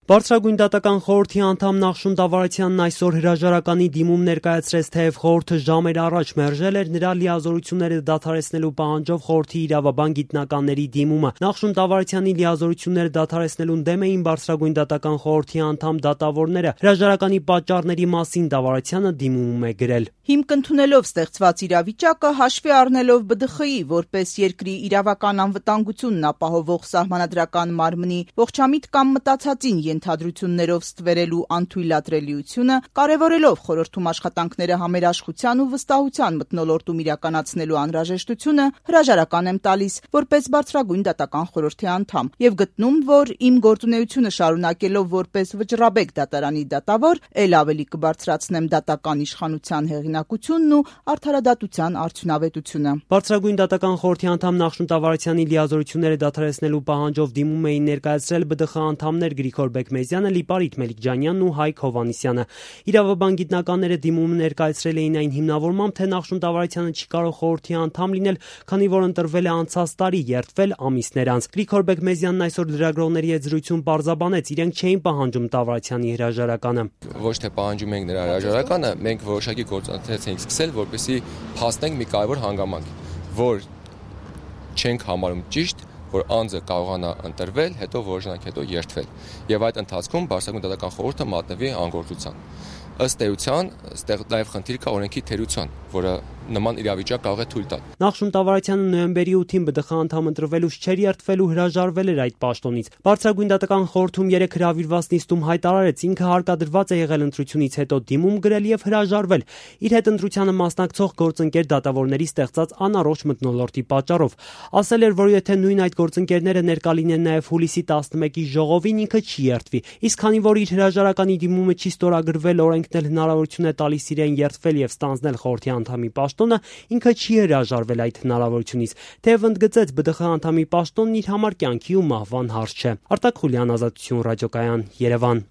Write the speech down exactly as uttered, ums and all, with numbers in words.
Բարձրագույն դատական խորհրդի անդամ Նախշուն Դավարացյանն այսօր հրաժարականի դիմում ներկայացրեց, թեև խորհուրդը ժամեր առաջ մերժել էր նրա լիազորությունները դադարեցնելու պահանջով խորհրդի իրավաբան գիտնականների դիմումը։ Նախշուն Դավարացյանի լիազորությունները դադարեցնելուն դեմ էին Բարձրագույն դատական խորհրդի անդամ դատավորները։ Հրաժարականի պատճառների մասին Դավարացյանը դիմումում է գրել. Հիմք ընդունելով ստեղծված իրավիճակը, հաշվի առնելով Բ ԴԽ ի որպես երկրի իրավական անվտանգությունն ապահովող սահմանադրական մարմնի ողջամիտ կամ մտածածին ենթադրություններով ստվերելու անթույլատրելիությունը, կարևորելով խորհրդում աշխատանքները համերաշխության ու վստահության մթնոլորտում իրականացնելու անհրաժեշտությունը, հրաժարական եմ տալիս որպես Բարձրագույն դատական խորհրդի անդամ եւ գտնում, որ իմ գործունեությունը շարունակելով որպես Վճռաբեկ դատարանի դատավոր, ել ավելի կբարձրացնեմ դատական իշխանության հեղինակությունն ու արդարադատության արդյունավետությունը։ Բարձրագույն դատական խորհրդի անդամ Նախշուն Դավարացյանի լիազորությունները դադարեցնելու պահանջով դիմում էին ներկայացրել Բ ԴԽ անդամներ Գրիգոր Բեկմեզյանը, Լիպարիտ Մելիքջանյանն ու Հայկ Հովհաննիսյանը։ Իրավաբան գիտնականները դիմումը ներկայացրել էին այն հիմնավորմամբ, թե Նախշուն Դավարացյանը չի կարող խորհրդի անդամ լինել, քանի որ ընտրվել է անցած տարի, երդվել ամիսներ անց։ Գրիգոր Բեկմեզյանն այսօր լրագրողների հետ զրույցում պարզաբանեց, իրենք չէին պահանջում Դավարացյանի հրաժարականը։ Ոչ թե պահանջում ենք նրա հրաժարականը, մենք որոշակի գործընթաց ենք սկսել, որպեսզի փաստենք մի կարևոր հանգամանք, որ չենք համարում ճիշտ, որ անձը կարողանա ընտրվել, հետո որոշ ժամանակ հետո երդվել, եւ այդ ընթացքում Բարձրագույն դատական խորհուրդը մատնվի անգործության։ Ըստ էության, այստեղ նաև խնդիր կա օրենքի թերության, որը նման իրավիճակ կարող է թույլ տալ։ Նախշուն Դավարացյանը նոյեմբերի ութին Բ ԴԽ անդամ ընտրվելուց չէր երդվելու, հրաժարվել էր այդ պաշտոնից։ Բարձրագույն դատական խորհրդում երեք հրավիրված նիստում հայտարարեց, ինքը հարկադրված է եղել ընտրությունից հետո դիմում գրել եւ հրաժարվել իր հետ ընտրությանը մասնակցող գործընկեր դատավորների ստեղծած անառողջ մթնոլորտի պատճառով։ Ասել էր, որ եթե նույն այդ գործընկերները ներկա լինեն նաեւ հուլիսի տասնմեկի ժողովին, ինքը չի երդվի։ Իսկ քանի որ իր հրաժարականի դիմումը չի ստորագրվել, օրենքն էլ հնարավորություն է տալիս իրեն երդվել եւ ստանձնել խորհրդի անդամի պաշտոնը, ինքը չի հրաժարվել այդ հնարավորությունից, թեև ընդգծեց Բ ԴԽ անդամի պաշտոնն իր համար կյանքի ու մահվան հարց չէ։ Արտակ Խուլյան, Ազատություն ռադիոկայան, Երևան։